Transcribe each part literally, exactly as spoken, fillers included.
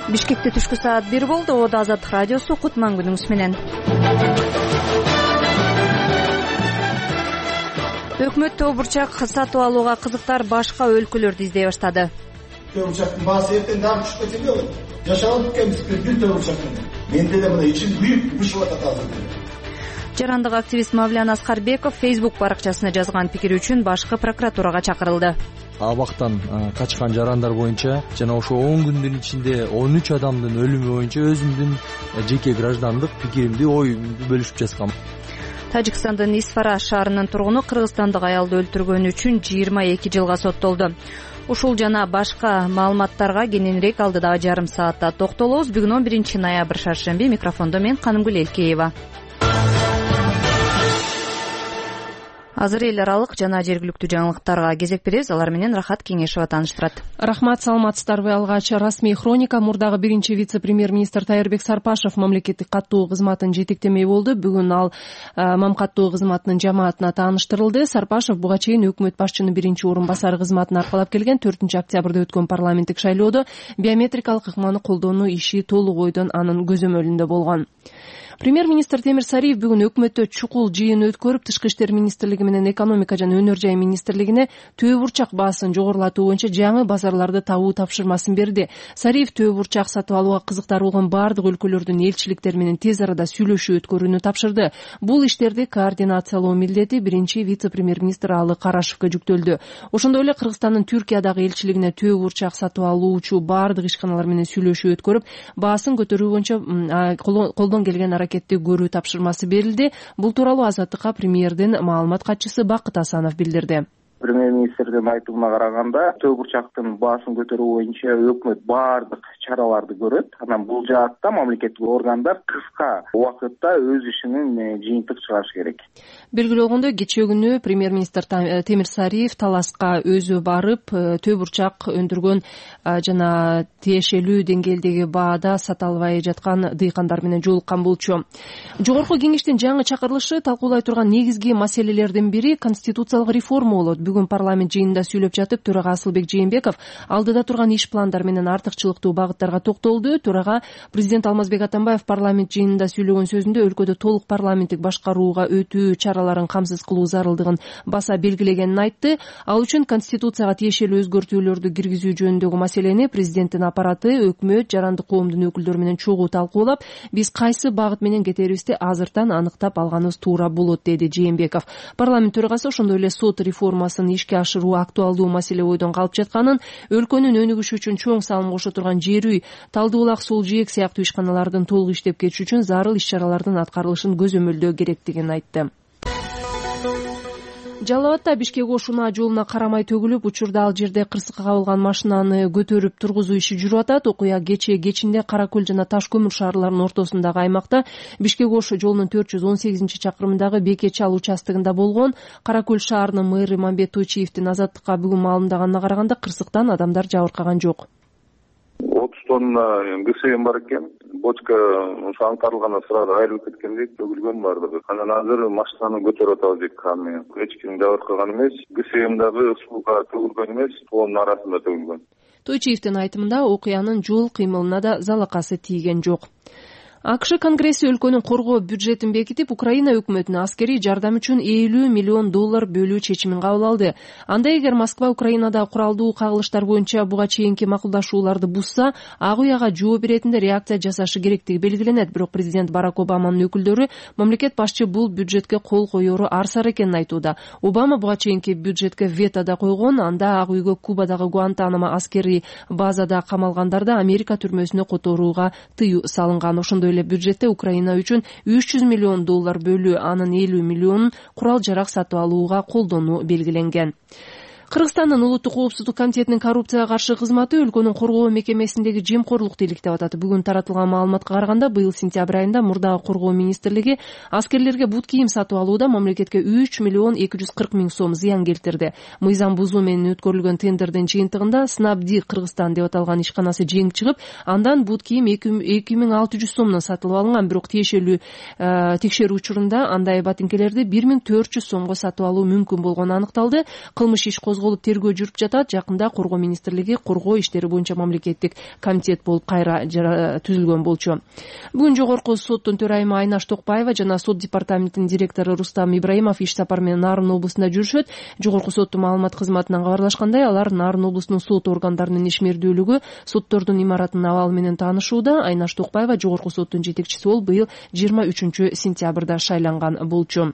Бишкекте түшкү саат бир болду. Ода Азаттык радиосу кутман күнүңүз менен. Өкмөт төө бурчак сатып алууга кызыктар башка өлкөлөрдү издей баштады. Төө бурчактын баасы эртең дагы түшүп кетеби ой. Жашап өткөнбүз бир төө бурчак менен. Менде да мына ичим күйүп бышып атат азыр. Жарандык активист Мавлян Аскарбеков Facebook баракчасына жазган пикири үчүн башкы прокуратурага чакырылды. Абактан качкан жарандар боюнча жана ошо он күндүн ичинде он үч адамдын өлүмү боюнча өзүмдүн жеке граждандык пикиримди, оюмду бөлүшүп жазгам. Тажикстандын Исфара шаарынын тургуну кыргызстандык аялды өлтүргөнү үчүн жыйырма эки жылга соттолду. Ушул жана башка маалыматтарга кененирээк алдыдагы жарым саатта токтолобуз. Бүгүн он биринчи ноябрь шаршемби. Микрофондо мен Канымгүл Элкеева. Азыр эл аралык жана жергиликтүү жаңылыктарга кезек беребиз. Алар менен Рахат Кеңешева тааныштырат. Рахмат, саламатсыздарбы? Алгач расмий хроника. Мурдагы биринчи вице-премьер-министр Тайырбек Сарпашев мамлекеттик каттуу кызматын жетектемей болду. Бүгүн ал мам каттуу кызматынын жамаатына тааныштырылды. Сарпашев буга чейин өкмөт башчынын биринчи орун басары кызматын аркалап келген. төртүнчү октябрда өткөн парламенттик шайлоодо биометрикалык ыкманы колдонуу иши толук ойдон анын көзөмөлүндө болгон. Премьер-министр Темир Сариев бүгүн өкмөттө чукул жыйын өткөрүп, Тышкы иштер министрлиги менен экономика жана өнөр жай министрлигине төө бурчак баасын жогорулатуу боюнча жаңы базарларды табуу тапшырмасын берди. Сариев төө бурчак сатып алууга кызыктар болгон бардык өлкөлөрдүн элчиликтери менен тез арада сүйлөшүү өткөрүүнү тапшырды. Бул иштерди координациялоо милдети биринчи вице-премьер-министр Алы Карашевке жүктөлдү. Ошондой эле Кыргызстандын Түркиядагы элчилигине төө бурчак сатып алуучу бардык ишканалар менен сүйлөшүү өткөрүп, баасын көтөрүү боюнча колдон келген кетти көрүү тапшырмасы берилди. Бул тууралуу Азаттыкка премьердин маалымат катчысы Бакыт Асанов билдирди. Премьер-министрдин айтымына караганда, төө бурчактын баасын көтөрүү боюнча өкмөт бардык чараларды көрөт. Анан бул жаатта мамлекеттик органдар кыска убакытта өз ишинин жыйынтык чыгарышы керек. Белгилүү болгондой, кечээ күнү премьер-министр Темир Сариев Таласка өзү барып, төө бурчак өндүргөн жана тиешелүү деңгээлдеги баада сата албай жаткан дыйкандар менен жолуккан болчу. Жогорку кеңештин жаңы чакырылышы талкуулай турган негизги маселелердин бири конституциялык реформа болот. Бүгүн парламент жыйынында сүйлөп жатып, төрага Асылбек Жээнбеков алдыда турган иш пландар менен артыкчылыктуу багыттарга токтолду. Төрага президент Алмазбек Атамбаев парламент жыйынында сүйлөгөн сөзүндө өлкөдө толук парламенттик башкарууга өтүү чараларын камсыз кылуу зарылдыгын баса белгилегенин айтты. Ал үчүн конституцияга тиешелүү өзгөртүүлөрдү киргизүү жөнүндөгү маселени президенттин аппараты, өкмөт, жарандык коомдун өкүлдөрү менен чогуу талкуулап, биз кайсы багыт менен кетерибизди азыртан аныктап алганыбыз туура болот, деди Жээнбеков. Парламент төрагасы ошондой эле сот реформасын ишке ашыруу актуалдуу маселе ойдон калып жатканын, өлкөнүн өнүгүшү үчүн чоң салым кошо турган жер үй, Талды булак, Сул жээк сыяктуу ишканалардын толук иштеп кетиши үчүн зарыл иш-чаралардын аткарылышын көзөмөлдөө керектигин айтты. Жалал Абадда Бишкек Ош-Унаа жолуна карамай төгүлүп, учурда ал жерде кырсыкка кабылган машинаны көтөрүп тургузуу иши жүрүп атат. Окуя кечээ кечинде Кара Көл жана Таш көмүр шаарларынын ортосундагы аймакта Бишкек Ош жолунун төрт жүз он сегизинчи чакырымындагы Бекечал участогунда болгон. Кара Көл шаарынын мэрі Мамбет Тойчиевдин Азаттыкка бүгүн маалымдаганына караганда, кырсыктан адамдар жабыркаган жок. отуз тонна ГСМ бар экен. Бочка ошо аңтарылгандан сразу айрылып кеткендей төгүлгөн бардыгы. Анан азыр машинаны көтөрүп атабыз эки камер. Эч ким жабыркаган эмес. ГСМ дагы сууга төгүлгөн эмес, тоонун арасында төгүлгөн. Тойчиевдин айтымында окуянын жол кыймылына да залакасы тийген жок. АКШ Конгресси өлкөнүн коргоо бюджетин бекитип, Украина өкмөтүнө аскерий жардам үчүн элүү миллион доллар бөлүү чечимин кабыл алды. Анда эгер Москва Украинада куралдуу кагылыштар боюнча буга чейинки макулдашууларды бузса, ак уяга жооп беретинде реакция жасашы керектиги белгиленет. Бирок президент Барак Обаманын өкүлдөрү мамлекет башчы бул бюджетке кол коеру арсар экенин айтууда. Обама буга чейинки бюджетке вето да койгон. Анда ак үйгө Кубадагы Гуантанамо аскерий базада камалгандарды Америка түрмөсүнө которууга тыюу салынган. Ошондой эле бюджетте Украина үчүн үч жүз миллион доллар бөлүү, анын элүү миллионун курал жарак сатып алууга колдонуу белгиленген. Кыргызстандын Улуттук коопсуздук комитетинин коррупцияга каршы кызматы өлкөнүн коргоо мекемесиндеги жемкорлукту иликтеп атат. Бүгүн таратылган маалыматка караганда, быйыл сентябрь айында мурдагы коргоо министрлиги аскерлерге бут кийим сатып алууда мамлекетке үч миллион эки жүз кырк миң сом зыян келтирди. Мыйзам бузуу менен өткөрүлгөн тендердин жыйынтыгында Снабди Кыргызстан деп аталган ишканасы жеңип чыгып, андан бут кийим эки миң алты жүз сомдон сатылып алынган. Бирок тиешелүү текшерүү учурунда андай батинкелерди бир миң төрт жүз сомго сатып алуу мүмкүн болгону аныкталды. Кылмыш иш козголуп тергөө жүрүп жатат. Жакында Коргоо министрлиги коргоо иштери боюнча мамлекеттик комитет болуп кайра түзүлгөн болчу. Бүгүн жогорку соттун төрайымы Айнаш Токпаева жана сот департаментинин директору Рустам Ибраимов иш сапар менен Нарын облусуна жүрүшөт. Жогорку соттун маалымат кызматынан кабарлашкандай, алар Нарын облусунун сот органдарынын ишмердүүлүгү, соттордун имаратынын абалы менен таанышууда. Айнаш Токпаева жогорку соттун жетекчиси болуп быйыл жыйырма үчүнчү сентябрда шайланган болчу.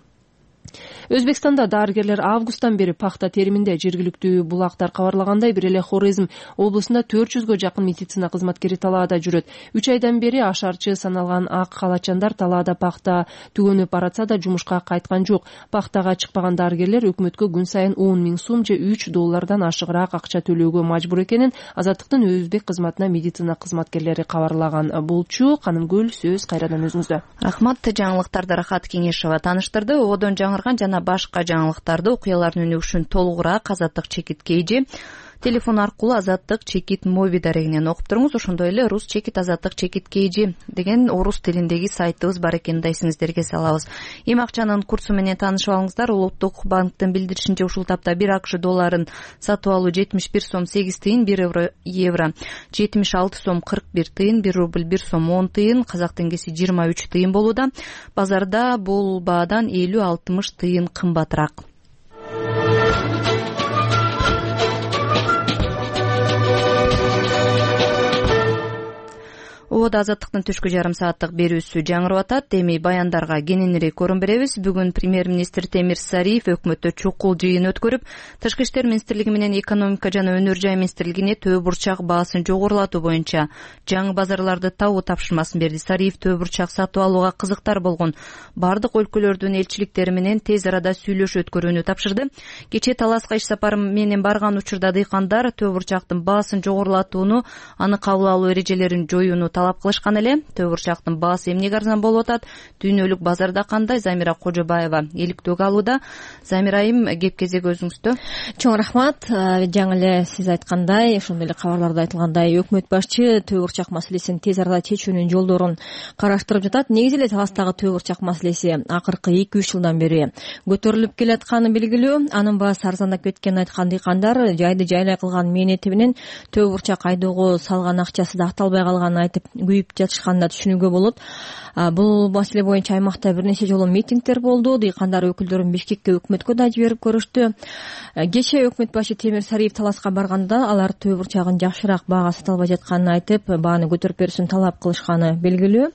Өзбекстанда дарыгерлер августтан бери пахта териминде. Жергиликтүү булактар кабарлагандай, бир эле Хорезм облусунда төрт жүзгө жакын медицина кызматкери талаада жүрөт. үч айдан бери ашарчы саналган ак калачандар талаада пахта түгөнүп баратса да жумушка кайткан жок. Пахтага чыкпаган дарыгерлер өкмөткө күн сайын он миң сом же үч доллардан ашыгыраак акча төлөөгө мажбур экенин Азаттыктын өзбек кызматына медицина кызматкерлери кабарлаган болчу. Канымгүл, сөз кайрадан өзүңүздө. Рахмат. Жаңылыктарды Рахат Кеңешова тааныштырды. Одон жаңырган жана башка жаңылыктарды, окуялардын өнүгүшүн толугураак Азаттык чекит кейжи телефон аркылуу Азаттык чекит моби дарегинен окуп туруңуз. Ошондой эле рус чекит Азаттык чекит кейжи деген орус тилиндеги сайтыбыз бар экенин да эсиңиздерге салабыз. Эми акчанын курсу менен таанышып алыңыздар. Улуттук банктын билдиришинче ушул тапта бир АКШ долларын сатып алуу жетимиш бир сом сегиз тыйын, бир евро евро жетимиш алты сом кырк бир тыйын, бир рубль бир сом он тыйын, казак теңгеси жыйырма үч тыйын болууда. Базарда бул баадан элүү алтымыш тыйын кымбатыраак. Ободо Азаттыктын түшкү жарым сааттык берүүсү жаңырып атат. Эми баяндарга кененирээк орун беребиз. Бүгүн премьер-министр Темир Сариев өкмөттө чукул жыйын өткөрүп, Тышкы иштер министрлиги менен экономика жана өнөр жай министрлигине төө бурчак баасын жогорулатуу боюнча жаңы базарларды табуу тапшырмасын берди. Сариев төө бурчак сатып алууга кызыктар болгон бардык өлкөлөрдүн элчиликтери менен тез арада сүйлөшүү өткөрүүнү тапшырды. Кечээ Таласка иш сапары менен барган учурда дыйкандар төө бурчактын баасын жогорулатууну, аны кабыл алуу эрежелерин жоюуну талап кылышкан эле. Төө бурчактын баасы эмнеге арзан болуп атат? Дүйнөлүк базарда кандай? Замира Кожобаева иликтөө алууда. Замира айым, кеп кезек өзүңүздө. Чоң рахмат. Жаңы эле сиз айткандай, ошондой эле кабарларда айтылгандай, өкмөт башчы төө бурчак маселесин тез арада чечүүнүн жолдорун караштырып жатат. Негизи эле Таластагы төө бурчак маселеси акыркы эки үч жылдан бери көтөрүлүп келатканы белгилүү. Анын баасы арзандап кеткенин айткан дыйкандар жайды жайлай кылган мээнети менен төө бурчак айдоого салган акчасы да акталбай калганын айтып күйүп жатышканын да түшүнүүгө болот. Бул маселе боюнча аймакта бир нече жолу митингдер болду. Дыйкандар өкүлдөрүн Бишкекке өкмөткө да жиберип көрүштү. Кечээ өкмөт башы Темир Сариев Таласка барганда алар төө бурчагын жакшыраак баага сата албай жатканын айтып, бааны көтөрүп берүүсүн талап кылышканы белгилүү.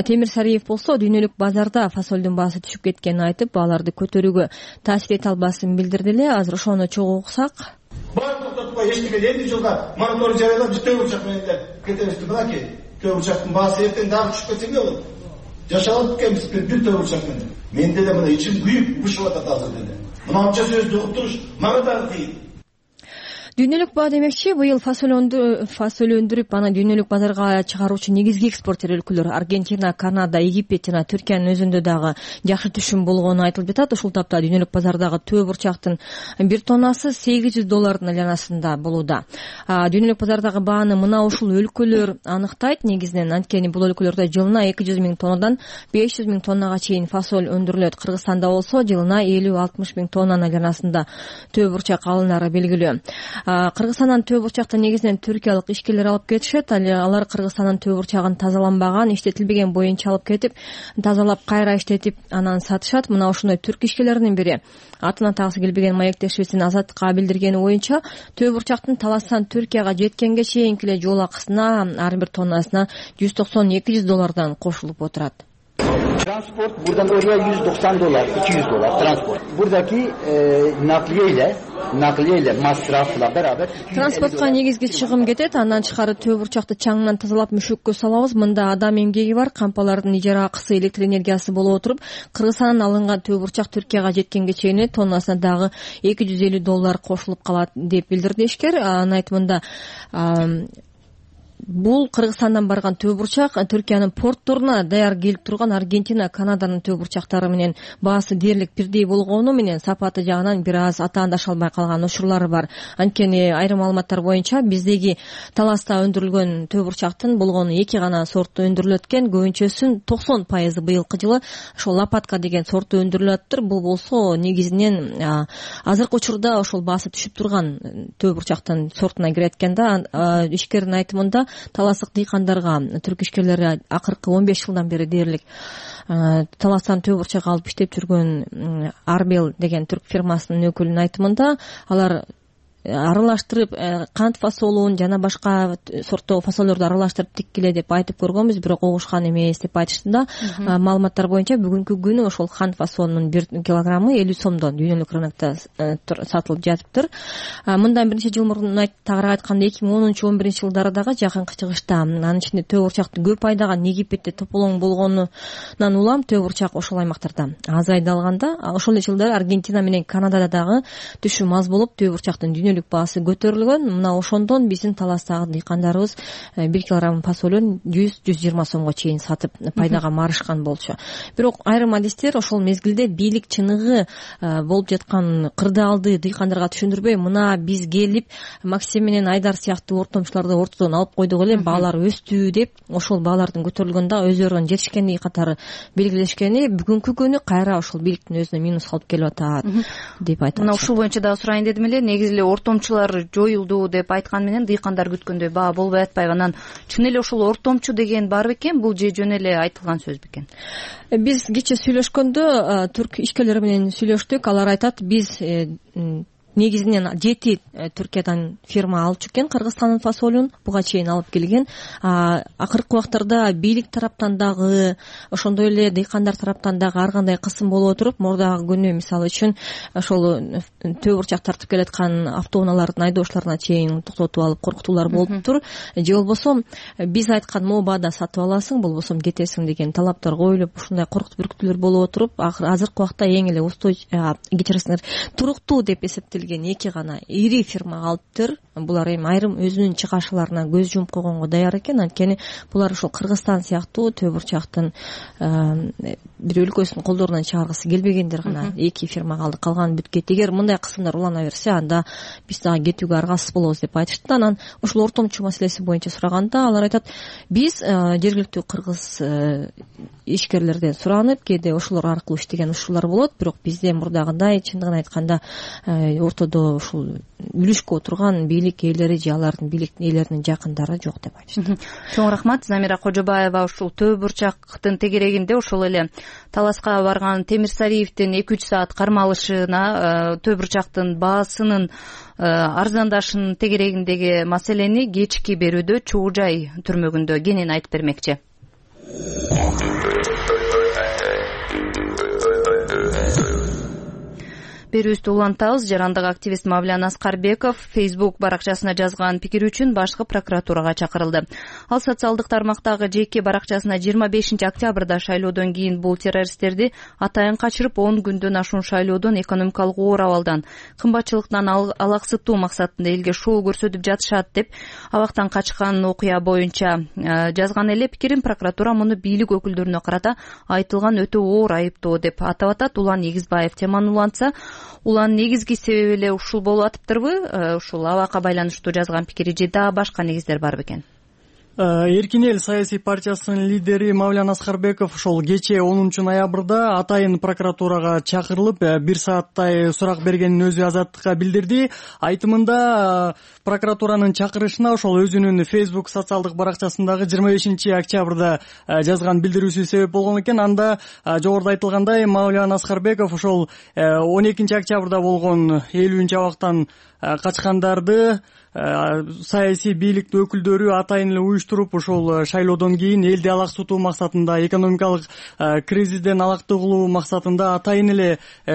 Темир Сариев болсо дүйнөлүк базарда фасолдун баасы түшүп кеткенин айтып, бааларды көтөрүүгө таасир эте албасын билдирди эле. Азыр ошону чогуу уксак. Баарын токтотпой эчтеке элүү жылга мораторий жарыялап биз төө бурчак менен эле кетебизди. Мынакей төө бурчактын баасы эртең дагы түшүп кетсе эмне болот? Жашап алып келебиз бир төө бурчак менен. Мен деле мына ичим күйүп бушуп атат азыр деле. Мынанча сөздү угуп туруш мага дагы кыйын. Дүйнөлүк баа демекчи, быйыл фасоль өндүрүп, аны дүйнөлүк базарга чыгаруучу негизги экспортер өлкөлөр Аргентина, Канада, Египет жана Түркиянын өзүндө дагы жакшы түшүм болгону айтылып жатат. Ушул тапта дүйнөлүк базардагы төө бурчактын бир тоннасы сегиз жүз доллардын айланасында болууда. Дүйнөлүк базардагы бааны мына ушул өлкөлөр аныктайт негизинен, анткени бул өлкөлөрдө жылына эки жүз миң тоннадан беш жүз миң тоннага чейин фасоль өндүрүлөт. Кыргызстанда болсо жылына элүү алтымыш миң тоннанын айланасында төө бурчак алынары белгилүү. Кыргызстандан төө бурчакты негизинен түркиялык ишкерлер алып кетишет. Алар Кыргызстандын төө бурчагын тазаланбаган, иштетилбеген боюнча алып кетип, тазалап кайра иштетип анан сатышат. Мына ошондой түрк ишкерлеринин бири атын атагысы келбеген маектешибиздин Азаттыкка билдиргени боюнча төө бурчактын Таластан Түркияга жеткенге чейинки эле жол акысына ар бир тоннасына жүз токсон эки жүз доллардан кошулуп отурат. Transport buradan oraya yüz doksan dolar, iki yüz dolar transport. Buradaki e, nakliye ile nakliye ile masrafla beraber Transportка негизги чыгым кетет. Андан тышкары төө бурчакты чаңынан тазалап мүшөккө салабыз. Мында адам эмгеги бар, кампалардын ижара акысы, электр энергиясы болуп отуруп, Кыргызстандан алынган төө бурчак Түркияга жеткенге чейин тоннасына дагы эки жүз элүү доллар кошулуп калат деп билдирди ишкер. Анын айтымында бул Кыргызстандан барган төө бурчак Түркиянын портторуна даяр келип турган Аргентина, Канаданын төө бурчактары менен баасы дээрлик бирдей болгону менен сапаты жагынан бир аз атаандаша албай калган учурлары бар. Анткени айрым маалыматтар боюнча биздеги Таласта өндүрүлгөн төө бурчактын болгону эки гана сорту өндүрүлөт экен. Көбүнчөсүнүн токсон пайызы быйылкы жылы ошол Лопатка деген сорту өндүрүлөттүр. Бул болсо негизинен азыркы учурда ошол баасы түшүп турган төө бурчактын сортуна кирет экен да. Ишкердин айтымында таластык дыйкандарга түрк ишкерлери акыркы он беш жылдан бери дээрлик Таластан төө бурчак алып иштеп жүргөн Арбел деген түрк фирмасынын өкүлүнүн айтымында алар аралаштырып кант фасолун жана башка сорттогу фасолдорду аралаштырып тиккиле деп айтып көргөнбүз, бирок угушкан эмес деп айтышты да. Маалыматтар боюнча бүгүнкү күнү ошол кант фасолунун бир килограммы элүү сомдон дүйнөлүк рынокто сатылып жатыптыр. Мындан бир нече жыл мурун тагыраак айтканда эки миң онунчу он биринчи жылдары дагы жакынкы чыгышта анын ичинде төө бурчактын көп айдаган Египетте тополоң болгонунан улам төө бурчак ошол аймактарда азайды алганда, ошол эле жылдары Аргентина менен Канадада дагы түшүм аз болуп төө бурчактын баасы көтөрүлгөн. Мына ошондон биздин Таластагы дыйкандарыбыз бир килограмм фасолун жүз жүз жыйырма сомго чейин сатып пайдага марышкан болчу. Бирок айрым адистер ошол мезгилде бийлик чыныгы болуп жаткан кырдаалды дыйкандарга түшүндүрбөй, мына биз келип Максим менен Айдар сыяктуу ортомчуларды ортодон алып койдук эле, баалар өстү деп ошол баалардын көтөрүлгөндө өздөрүнүн жетишкендиги катары белгилешкени бүгүнкү күнү кайра ошол бийликтин өзүнө минус алып келип атат деп айтат. Мына ушул боюнча дагы сурайын дедим эле. Негизи эле ортомчулар жоюлду деп айткан менен дыйкандар күткөндөй баа болбой атпайбы? Анан чын эле ошол ортомчу деген бар бекен? Бул же жөн эле айтылган сөз бекен? Биз кечээ сүйлөшкөндө түрк ишкерлери менен сүйлөштүк. Алар айтат, биз негизинен жети Түркиядан фирма алчу экен Кыргызстандын фасолун, буга чейин алып келген. Акыркы убактарда бийлик тараптан дагы, ошондой эле дыйкандар тараптан дагы ар кандай кысым болуп отуруп, мурдагы күнү мисалы үчүн ошол төө бурчак тартып келаткан автоунаалардын айдоочуларына чейин токтотуп алып коркутуулар болуптур. Же болбосо биз айткан мообада сатып аласың, болбосо кетесиң деген талаптар коюлуп, ушундай коркутуп бүркүтүүлөр болуп отуруп, азыркы убакта эң эле устой кечиресиңер туруктуу деп эсептелген эки гана ири фирма калыптыр. Булар эми айрым өзүнүн чыгашыларына көз жумуп койгонго даяр экен. Анткени булар ошол Кыргызстан сыяктуу төө бурчактын бир өлкөсүнүн колдорунан чыгаргысы келбегендер гана эки фирма калды, калган бүткөйт. Эгер мындай кысымдар улана берсе, анда биз дагы кетүүгө аргасыз болобуз деп айтышты. Анан ушул ортомчу маселеси боюнча сураганда алар айтат, биз жергиликтүү кыргыз ишкерлерден суранып, кээде ошолор аркылуу иштеген учурлар болот, бирок бизде мурдагыдай чындыгын айтканда ортодо ушул үлүшкө отурган бийлик ээлери же алардын бийликтин ээлеринин жакындары жок деп айтышты. Чоң рахмат. Замира Кожобаева ушул төө бурчактын тегерегинде ошол эле Таласка барган Темирсариевдин эки үч саат кармалышына төө бурчактын баасынын арзандашынын тегерегиндеги маселени кечки берүүдө Чогуу Жай түрмөгүндө кенен айтып бермекчи. Берүүбүздү улантабыз. Жарандык активист Мавлян Аскарбеков Facebook баракчасына жазган пикири үчүн башкы прокуратурага чакырылды. Ал социалдык тармактагы жеке баракчасына жыйырма бешинчи октябрда шайлоодон кийин бул террористтерди атайын качырып он күндөн ашуун шайлоодон экономикалык оор абалдан, кымбатчылыктан алаксытуу максатында элге шоу көрсөтүп жатышат деп абактан качкан окуя боюнча жазган эле пикирин прокуратура муну бийлик өкүлдөрүнө карата айтылган өтө оор айыптоо деп атап атат. Улан Эгизбаев теманы улантса, улан негизги себеби эле ушул болуп атыптырбы? Ушул абакка байланыштуу жазган пикири же дагы башка негиздер бар бекен? Эркин эл саясий партиясынын лидери Мавлян Аскарбеков ошол кечээ онунчу ноябрда атайын прокуратурага чакырылып бир сааттай сурак бергенин өзү Азаттыкка билдирди. Айтымында прокуратуранын чакырышына ошол өзүнүн Facebook социалдык баракчасындагы жыйырма бешинчи октябрда жазган билдирүүсү себеп болгон экен. Анда жогоруда айтылгандай Мавлян Аскарбеков ошол он экинчи октябрда болгон элүүнчү абактан качкандарды саясий бийликтин өкүлдөрү атайын эле уюштуруп, ошол шайлоодон кийин элди алаксытуу максатында, экономикалык кризистен алакты кылуу максатында атайын эле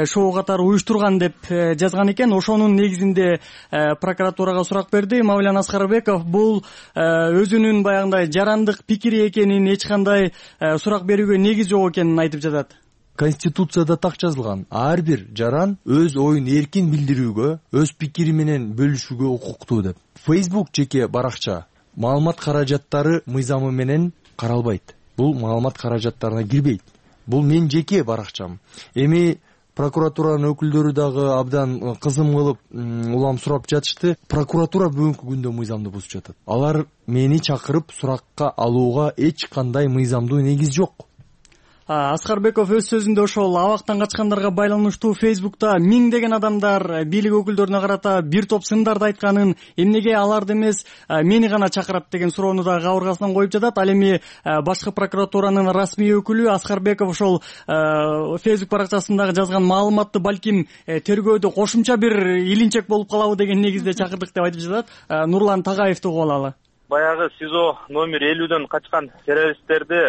шоу катары уюштурган деп жазган экен. Ошонун негизинде прокуратурага сурак берди. Мавлян Аскарбеков бул өзүнүн баягындай жарандык пикири экенин, эч кандай сурак берүүгө негиз жок экенин айтып жатат. Конституцияда так жазылган, ар бир жаран өз оюн эркин билдирүүгө, өз пикири менен бөлүшүүгө укуктуу деп. Facebook жеке баракча маалымат каражаттары мыйзамы менен каралбайт. Бул маалымат каражаттарына кирбейт. Бул менин жеке баракчам. Эми прокуратуранын өкүлдөрү дагы абдан кызым кылып улам сурап жатышты. Прокуратура бүгүнкү күндө мыйзамды бузуп жатат. Алар мени чакырып суракка алууга эч кандай мыйзамдуу негиз жок. Аскарбеков өз сөзүндө ошол абактан качкандарга байланыштуу Фейсбукта миңдеген адамдар бийлик өкүлдөрүнө карата бир топ сындарды айтканын, эмнеге аларды эмес мени гана чакырат деген суроону да кабыргасынан коюп жатат. Ал эми башкы прокуратуранын расмий өкүлү Аскарбеков ошол Фейсбук баракчасындагы жазган маалыматты балким тергөөдө кошумча бир илинчек болуп калабы деген негизде чакырдык деп айтып жатат. Нурлан Тагаевди угуп алалы. Баягы СИЗО номер элүүдөн качкан террористтерди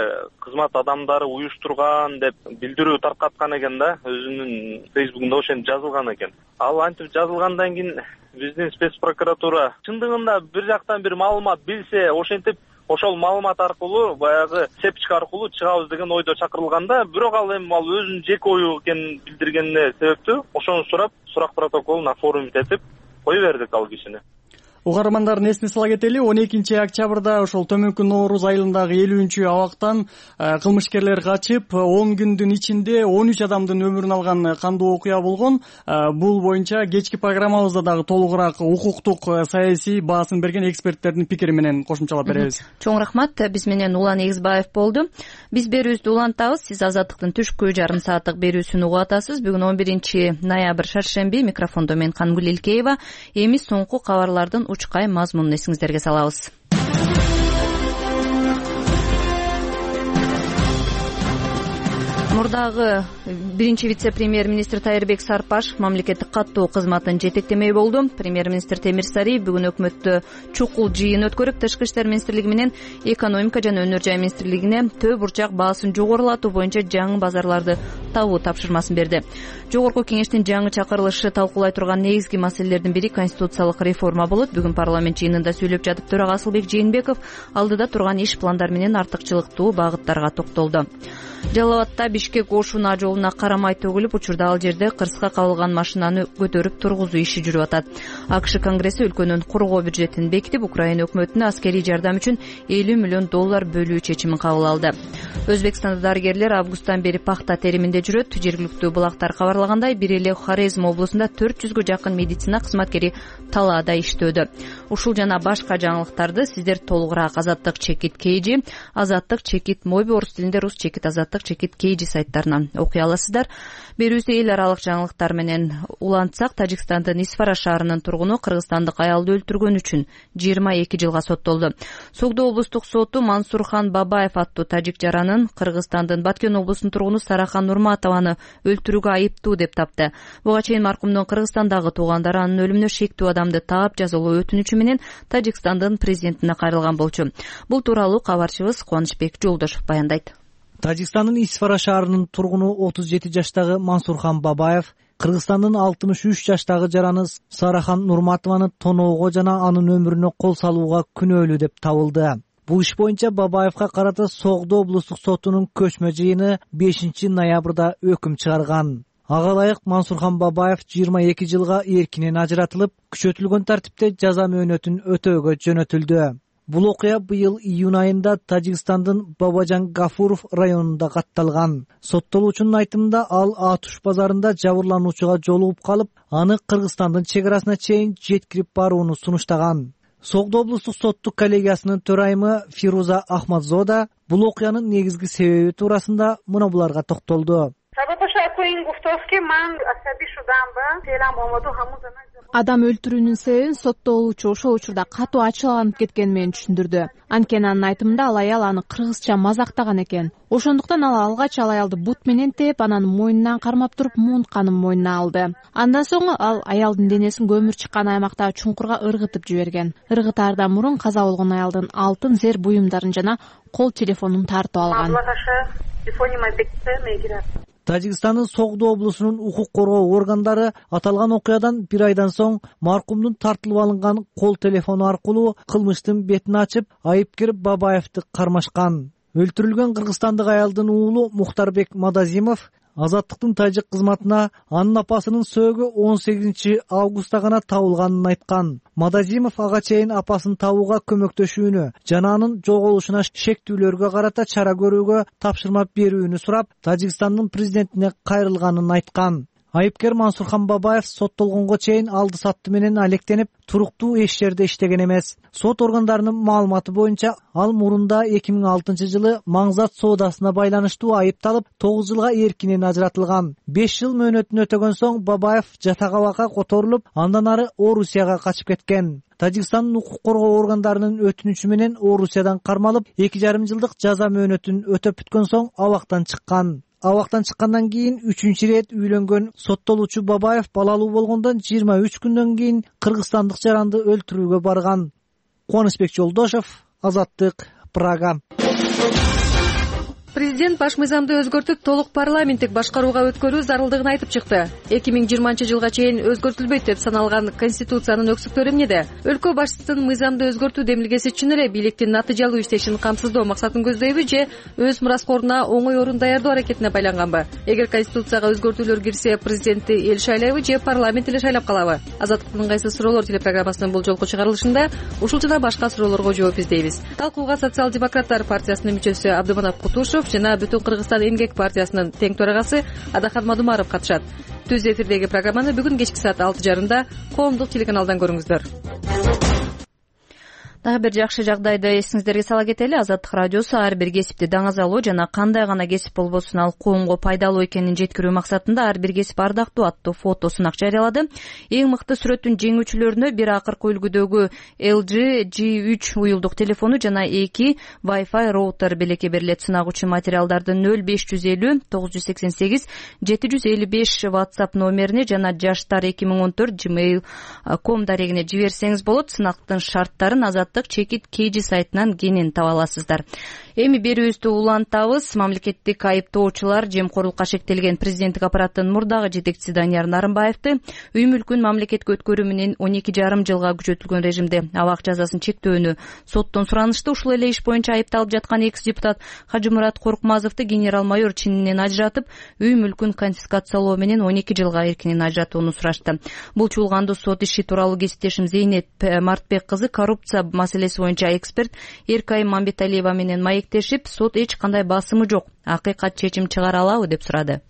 кызмат адамдары уюштурган деп билдирүү таркаткан экен да, өзүнүн Фейсбукунда ошентип жазылган экен. Ал антип жазылгандан кийин биздин спецпрокуратура чындыгында бир жактан бир маалымат билсе, ошентип ошол маалымат аркылуу баягы цепочка аркылуу чыгабыз деген ойдо чакырылганда, бирок ал эми ал өзүнүн жеке ою экенин билдиргенине себептүү ошону сурап, сурак протоколун оформить кое бердик ал кишини. Угармандардын эсине сала кетели, он экинчи октябрда ошол төмөнкү Нооруз айылындагы элүүнчү абактан кылмышкерлер качып, он күндүн ичинде он үч адамдын өмүрүн алган кандуу окуя болгон. Бул боюнча кечки программабызда дагы толугураак укуктук, саясий баасын берген эксперттердин пикири менен кошумчалап беребиз. Чоң рахмат. Биз менен Улан Эгизбаев болду. Биз берүүбүздү улантабыз. Сиз Азаттыктын түшкү жарым сааттык берүүсүн угуп атасыз. Бүгүн он биринчи ноябрь шаршемби. Микрофондо мен Кангүл Илкеева. Эми соңку кабарлардын учкай мазмунун эсиңиздерге салабыз. Мурдагы биринчи вице-премьер-министр Тайырбек Сарпашев мамлекеттик каттоо кызматын жетектемей болду. Премьер-министр Темир Сариев бүгүн өкмөттө чукул жыйын өткөрүп, Тышкы иштер министрлиги менен экономика жана өнөр жай министрлигине төө бурчак баасын жогорулатуу боюнча жаңы базарларды табуу тапшырмасын берди. Жогорку кеңештин жаңы чакырылышы талкуулай турган негизги маселелердин бири конституциялык реформа болот. Бүгүн парламент жыйынында сүйлөп жатып төрага Асылбек Жээнбеков алдыда турган иш пландар менен артыкчылыктуу багыттарга токтолду. Жалал Абадта Бишкек Ош-Унаа жолуна карамай төгүлүп, учурда ал жерде кырсыкка кабылган машинаны көтөрүп тургузуу иши жүрүп атат. АКШ Конгресси өлкөнүн коргоо бюджетин бекитип, Украина өкмөтүнө аскерий жардам үчүн элүү миллион доллар бөлүү чечимин кабыл алды. Өзбекстанда дарыгерлер августтан бери пахта териминде жүрөт. Жергиликтүү булактар кабарлагандай, бир эле Хорезм облусунда төрт жүзгө жакын медицина кызматкери талаада иштөөдө. Ушул жана башка жаңылыктарды сиздер толугураак Азаттык чекит кейжи, Азаттык чекит мойбу орус тилинде, рус чекит Азаттык чекит кейжи сайттарынан окуй аласыздар. Берүүсү эл аралык жаңылыктар менен улантсак, Тажикстандын Исфара шаарынын тургуну кыргызстандык аялды өлтүргөн үчүн жыйырма эки жылга соттолду. Согдо облустук соту Мансурхан Бабаев аттуу тажик жаранын Кыргызстандын Баткен облусунун тургуну Сарахан Нурматованы өлтүрүүгө айыптуу деп тапты. Буга чейин маркумдун Кыргызстандагы туугандары анын өлүмүнө шектүү адамды таап жазалоо өтүнүчү менен Тажикстандын президентине кайрылган болчу. Бул тууралуу кабарчыбыз Кубанычбек Жолдошов баяндайт. Тажикстандын Исфара шаарынын тургуну отуз жети жаштагы Мансурхан Бабаев Кыргызстандын алтымыш үч жаштагы жараны Сарахан Нурматованы тоноого жана анын өмүрүнө кол салууга күнөөлүү деп табылды. Бул иш боюнча Бабаевга карата Согдо облустук сотунун көчмө жыйыны бешинчи ноябрда өкүм чыгарган. Ага ылайык Мансурхан Бабаев жыйырма эки жылга эркинен ажыратылып, күчөтүлгөн тартипте жаза мөөнөтүн өтөөгө жөнөтүлдү. Бул окуя быйыл июнь айында Тажикстандын Бабажан Гафуров районунда катталган. Соттолуучунун айтымында ал Атуш базарында жабырлануучуга жолугуп калып, аны Кыргызстандын чек арасына чейин жеткирип барууну сунуштаган. Согдо облустук соттук коллегиясынын төрайымы Фируза Ахмадзода бул окуянын негизги себеби туурасында мына буларга токтолду. Адам өлтүрүүнүн себебин соттолуучу ошол учурда катуу ачууланып кеткени менен түшүндүрдү. Анткени анын айтымында ал аял аны кыргызча мазактаган экен. Ошондуктан ал алгач ал аялды бут менен тээп, анан мойнунан кармап туруп муунтканын мойнуна алды. Андан соң ал аялдын денесин көмүр чыккан аймактагы чуңкурга ыргытып жиберген. Ыргытаардан мурун каза болгон аялдын алтын зер буюмдарын жана кол телефонун тартып алган. Тажикстандын Согдо облусунун укук коргоо органдары аталган окуядан бир айдан соң маркумдун тартылып алынган кол телефону аркылуу кылмыштын бетин ачып, айыпкер Бабаевди кармашкан. Өлтүрүлгөн кыргызстандык аялдын уулу Мухтарбек Мадазимов Азаттыктын тажик кызматына анын апасынын сөөгү он сегизинчи августта гана табылганын айткан. Мадазимов ага чейин апасын табууга көмөктөшүүнү жана анын жоголушуна шектүүлөргө карата чара көрүүгө тапшырма берүүнү сурап, Тажикстандын президентине кайрылганын айткан. Айыпкер Мансурхан Бабаев соттолгонго чейин алды сатты менен алектенип, туруктуу эч жерде иштеген эмес. Сот органдарынын маалыматы боюнча, ал мурунда эки миң алтынчы жылы маңзат соодасына байланыштуу айыпталып, тогуз жылга эркинен ажыратылган. беш жыл мөөнөтүн өтөгөн соң Бабаев жатак-абакка которулуп, андан ары Орусияга качып кеткен. Тажикстандын укук коргоо органдарынын өтүнүчү менен Орусиядан кармалып, эки жарым жылдык жаза мөөнөтүн өтөп бүткөн соң абактан чыккан. Абактан чыккандан кийин үчүнчү ирет үйлөнгөн соттолуучу Бабаев балалуу болгондон жыйырма үч күндөн кийин кыргызстандык жаранды өлтүрүүгө барган. Кубанычбек Жолдошев, Азаттык, Прага. Президент баш мыйзамды өзгөртүп, толук парламенттик башкарууга өткөрүү зарылдыгын айтып чыкты. эки миң жыйырманчы жылга чейин өзгөртүлбөйт деп саналган Конституциянын өксүктөрү эмнеде? Өлкө башчысынын мыйзамды өзгөртүү демилгеси чын эле бийликтин натыйжалуу иштешин камсыздоо максатын көздөйбү же өз мураскоруна оңой орун даярдоо аракетине байланганбы? Эгер Конституцияга өзгөртүүлөр кирсе, президентти эл шайлайбы же парламент эле шайлап калабы? Азаттыктын кайсы суроолор телепрограммасынын бул жолку чыгарылышында ушул жана башка суроолорго жооп издейбиз. Талкууга социал-демократтар партиясынын мүчөсү Абдыманап Кутушев жана Бүтүн Кыргызстан эмгек партиясынын тең төрагасы Адахан Мадумаров катышат. Түз эфирдеги программаны бүгүн кечки саат алты жарымда коомдук телеканалдан көрүңүздөр. Дагы бир жакшы жагдайды эсиңиздерге сала кетели. Азаттык радиосу ар бир кесипти даңазалоо жана кандай гана кесип болбосун ал коомго пайдалуу экенин жеткирүү максатында ар бир кесип ардактуу аттуу фото сунак жарыялады. Эң мыкты сүрөттүн жеңүүчүлөрүнө бир акыркы үлгүдөгү эл джи джи үч уюлдук телефону жана эки Wi-Fi роутер белекке берилет. Сынак үчүн материалдарды нөл беш жүз элүү тогуз жүз сексен сегиз жети жүз элүү беш WhatsApp номерине жана жаштар эки миң он төрт gmail точка com дарегине жиберсеңиз болот. Сынактын шарттарын Азат чекит кейжи сайтынан кенен таба аласыздар. Эми берүүбүздү улантабыз. Мамлекеттик айыптоочулар жемкорлукка шектелген президенттик аппараттын мурдагы жетекчиси Данияр Нарымбаевди үй мүлкүн мамлекетке өткөрүү менен он эки жарым жылга күчөтүлгөн режимде абак жазасын чектөөнү соттон суранышты. Ушул эле иш боюнча айыпталып жаткан экс депутат Хажымурат Коркмазовду генерал майор чининен ажыратып, үй мүлкүн конфискациялоо менен он эки жылга эркинен ажыратууну сурашты. Бул чуулганды сот иши тууралуу кесиптешим Зейнет Мартбек кызы коррупция маселеси боюнча эксперт Эркай Мамбеталиева менен маектешип, сот эч кандай басымы жок, акыйкат чечим чыгара алабы деп сурады.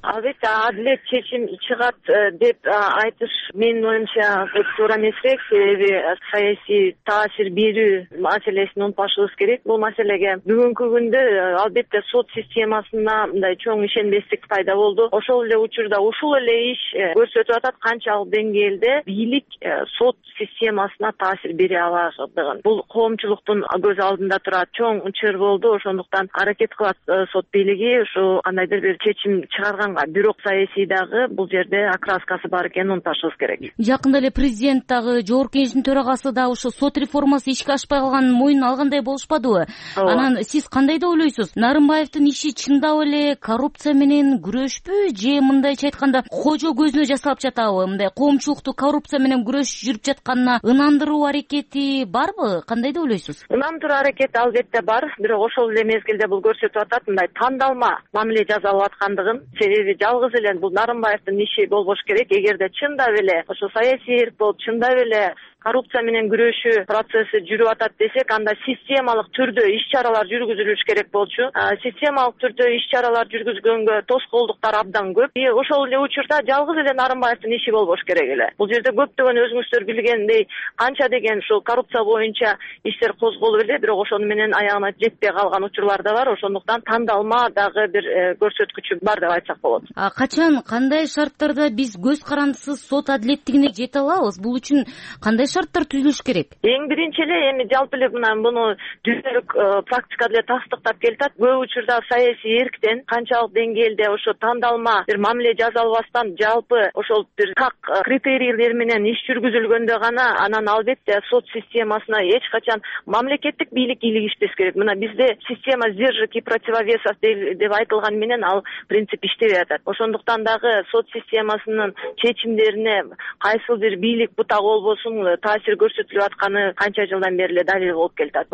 Албетте адилет чечим чыгат деп айтыш менин оюмча туура эмесирээк, себеби саясий таасир берүү маселесин унутпашыбыз керек. Бул маселеге бүгүнкү күндө албетте сот системасына мындай чоң ишенбестик пайда болду. Ошол эле учурда ушул эле иш көрсөтүп атат канчалык деңгээлде бийлик сот системасына таасир бере аладыгын. Бул коомчулуктун көз алдында турат чоң чыр болду. Ошондуктан аракет кылат сот бийлиги ушу кандайдыр бир чечим чыгарган. Бирок саясийдагы бул жерде окраскасы бар экенин унутпашыбыз керек. Жакында эле президент дагы жогорку кеңештин төрагасы да ушу сот реформасы ишке ашпай калганын мойнуна алгандай болушпадыбы? Анан сиз кандай деп ойлойсуз? Нарымбаевдин иши чындап эле коррупция менен күрөшпү же мындайча айтканда кожо көзүнө жасалып жатабы? Мындай коомчулукту коррупция менен күрөш жүрүп жатканына ынандыруу аракети барбы? Кандай деп ойлойсуз? Ынандыруу аракети албетте бар, бирок ошол эле мезгилде бул көрсөтүп атат мындай тандалма мамиле жасалып аткандыгын. Себеби жалгыз эле бул Нарымбаевдин иши болбош керек. Эгерде чындап эле ошо саясий эрк болуп, чындап эле коррупция менен күрөшүү процесси жүрүп атат десек, анда системалык түрдө иш-чаралар жүргүзүлүш керек болчу. Системалык түрдө иш-чаралар жүргүзгөнгө тоскоолдуктар абдан көп. И ошол эле учурда жалгыз эле Нарымбаевдин иши болбош керек эле. Бул жерде көптөгөн өзүңүздөр билгендей канча деген ушул коррупция боюнча иштер козголуп эле, бирок ошону менен аягына жетпей калган учурлар да бар. Ошондуктан тандалма дагы бир көрсөткүчү бар деп айтсак болот. А качан, кандай шарттарда биз көз карандысыз сот адилеттигине жете алабыз? Бул үчүн кандай шарттар түзүлүш керек? Эң биринчи эле эми жалпы эле мына муну дүйнөлүк практика деле тастыктап келатат. Көп учурда саясий эрктен канчалык деңгээлде ошо тандалма бир мамиле жасалбастан жалпы ошол бир так критерийлер менен иш жүргүзүлгөндө гана анан албетте сот системасына эч качан мамлекеттик бийлик илигишпес керек. Мына бизде система сдержек и противовесов деп айтылган менен ал принцип иштебей атат. Ошондуктан дагы сот системасынын чечимдерине кайсыл бир бийлик бутак болбосун таасир көрсөтүлүп атканы канча жылдан бери эле далил болуп келатат.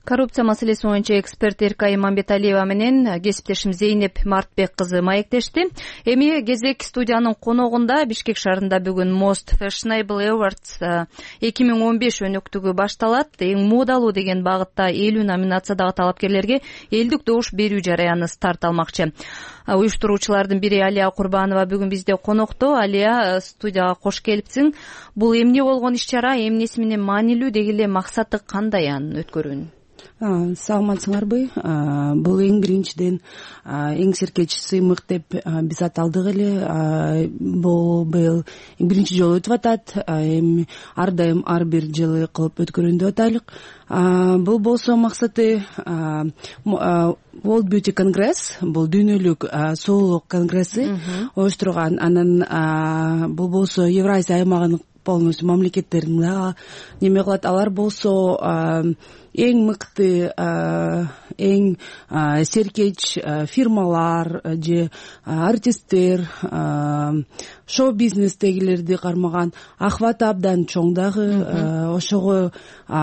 Коррупция маселеси боюнча эксперт Эркай Имамбеталиева менен кесиптешим Зейнеп Мартбек кызы маектешти. Эми кезек студиянын коногунда Бишкек шаарында бүгүн Most Fashionable Awards эки миң он беш өнөктүгү башталат. Эң модалуу деген багытта элүү номинациядагы талапкерлерге элдик добуш берүү жараяны старт алмакчы. Уюштуруучулардын бири Алия Курбанова бүгүн бизде конокто. Алия, студияга кош келипсиң. Бул эмне болгон иш-чара, эмнеси менен маанилүү, деги эле максаты кандай анын өткөрүүнүн? Саламатсыңарбы? Бул эң биринчиден эң серкеч сыймык деп биз аталдык эле. Бул быйыл биринчи жолу өтүп атат. Эми ар дайым ар бир жылы кылып өткөргөндөй атайлык. Бул болсо максаты World Beauty Congress, бул дүйнөлүк сулуулук конгресси оюштурган. Анан бул болсо Евразия аймагынын полностью мамлекеттерин да неме кылат. Алар болсо эң мыкты, эң серкеч фирмалар же артисттер, шоу-бизнестегилерди кармаган охват абдан чоң дагы. Ошого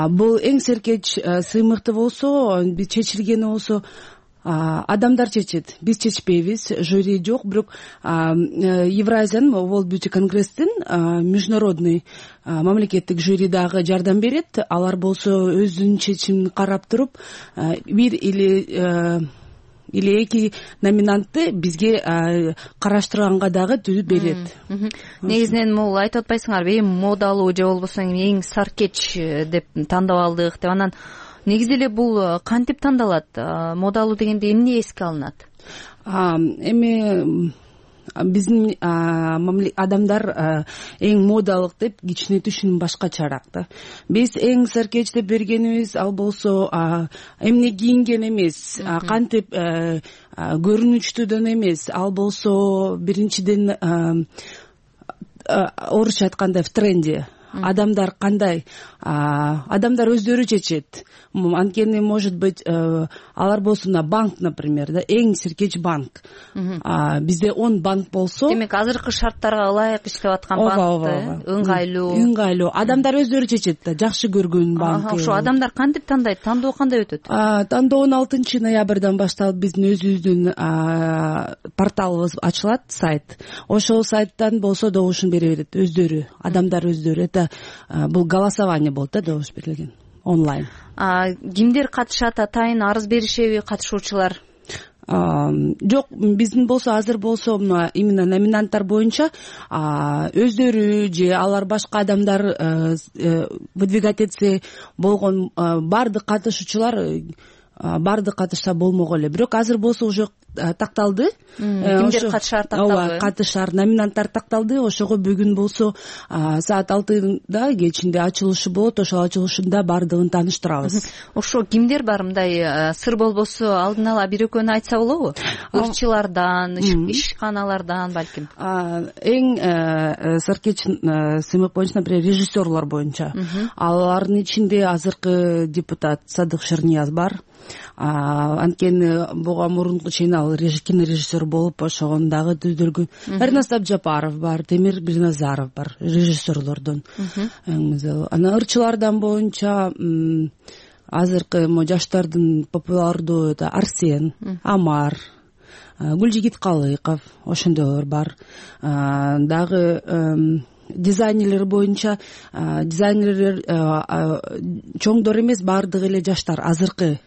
бул эң серкеч сыймыкты болсо, биз чечилгени болсо адамдар чечет, биз чечпейбиз, жюри жок. Бирок Евразиянын World Beauty Congress-тин международный мамлекеттик жюри дагы жардам берет. Алар болсо өзүнүн чечимин карап туруп, бир или или эки номинантты бизге караштырганга дагы түзүп берет. Негизинен бул айтып атпайсыңарбы, эң модалуу же болбосо эң саркеч деп тандап алдык деп. Анан негизи эле бул кантип тандалат? Модалуу дегенде эмне эске алынат? Эми биздин адамдар эң модалык деп кичине түшүнүм башкачараак да. Биз эң саркеч деп бергенибиз ал болсо эмне кийинген эмес, кантип көрүнүчтүүдөн эмес. Ал болсо биринчиден орусча айтканда в тренде. Адамдар кандай? Адамдар өздөрү чечет. Анткени может быть алар болсо на банк, например, да, эң серкеч банк. Бизде он банк болсо, демек азыркы шарттарга ылайык иштеп аткан банкты, ыңгайлуу. Ыңгайлуу. Адамдар өздөрү чечет да, жакшы көргөн банк. Ошо адамдар кантип тандайт? Тандоо кандай өтөт? Тандоо он алтынчы ноябрдан башталып биздин өзүбүздүн порталыбыз ачылат, сайт. Ошол сайттан болсо добушун бере берет өздөрү, адамдар өздөрү. Это бул голосование болот да, добуш берилген онлайн. Кимдер катышат? Атайын арыз беришеби катышуучулар? Жок, биздин болсо азыр болсо именно номинанттар боюнча өздөрү же алар башка адамдар выдвигать этсе болгон баардык катышуучулар баардык катышса болмок эле. Бирок азыр болсо уже такталды. Кимдер катышаар такталды? Катышаар номинанттар такталды. Ошого бүгүн болсо саат алтыда кечинде ачылышы болот. Ошол ачылышында баардыгын тааныштырабыз. Ошо кимдер бар? Мындай сыр болбосо алдын ала бир экөөнү айтса болобу? Ырчылардан, ишканалардан балким. Эң саркеч сыймык боюнча, например, режиссерлор боюнча. Алардын ичинде азыркы депутат Садык Шернияз бар. Анткени буга мурунку чейин ал кинорежиссер болуп ошогон дагы түздүргөн. Эрнест Абжапаров бар, Темир Бирназаров бар, режиссерлордон. Анан ырчылардан боюнча азыркы жаштардын популярдуу Арсен, Амар, Гүлжигит Калыков, ошондойлор бар. Дагы дизайнерлер боюнча дизайнерлер чоңдор эмес, баардыгы эле жаштар, азыркы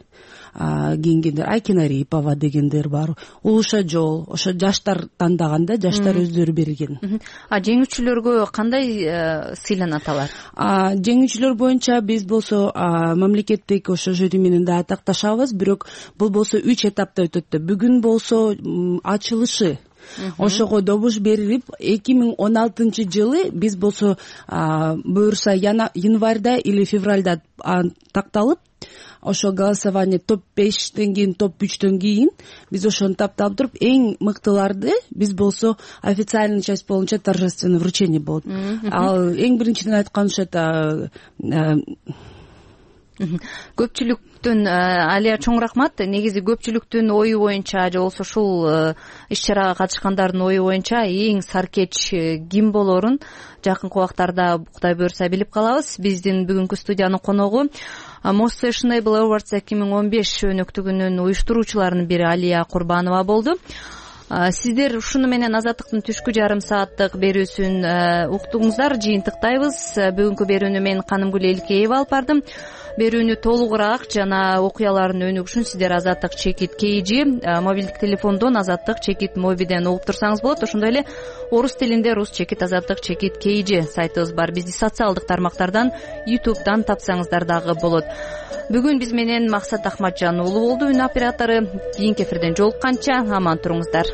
кийингендер. Айкин Арипова дегендер бар. Улуша Жол, ошо жаштар тандаганда, жаштар өздөрү берген. А жеңүүчүлөргө кандай сыйланат алар? Жеңүүчүлөр боюнча биз болсо мамлекеттик ошо жюри менен да такташабыз, бирок бул болсо үч этапта өтөт да. Бүгүн болсо ачылышы. Ошого добуш берилип, эки миң он алтынчы жылы биз болсо буюрса январда или февралда такталып, ошо голосование топ бештен кийин, топ үчтөн кийин биз ошону тапталып туруп, эң мыктыларды биз болсо официальный часть боюнча торжественное вручение болот. Ал эң биринчиден айткан ошо көпчүлүктүн, Алия, чоң рахмат. Негизи көпчүлүктүн ою боюнча же болсо ушул иш-чарага катышкандардын ою боюнча эң саркеч ким болорун жакынкы убактарда Кудай буйрса билип калабыз. Биздин бүгүнкү студиянын коногу Most Fashionable Awards эки миң он беш өнөктүгүнүн уюштуруучуларынын бири Алия Курбанова болду. Сиздер ушуну менен Азаттыктын түшкү жарым сааттык берүүсүн уктуңуздар. Жыйынтыктайбыз. Бүгүнкү берүүнү мен Канымгүл Элкеева алып бардым. Берүүнү толугураак жана окуялардын өнүгүшүн сиздер Азаттык чекит kg мобилдик телефондон Азаттык чекит мобиден угуп турсаңыз болот. Ошондой эле орус тилинде Рус чекит Азаттык чекит kg сайтыбыз бар. Бизди социалдык тармактардан, YouTube'дан тапсаңыздар дагы болот. Бүгүн биз менен Максат Ахматжан уулу болду, үн оператору. Кийинки эфирден жолукканча аман туруңуздар.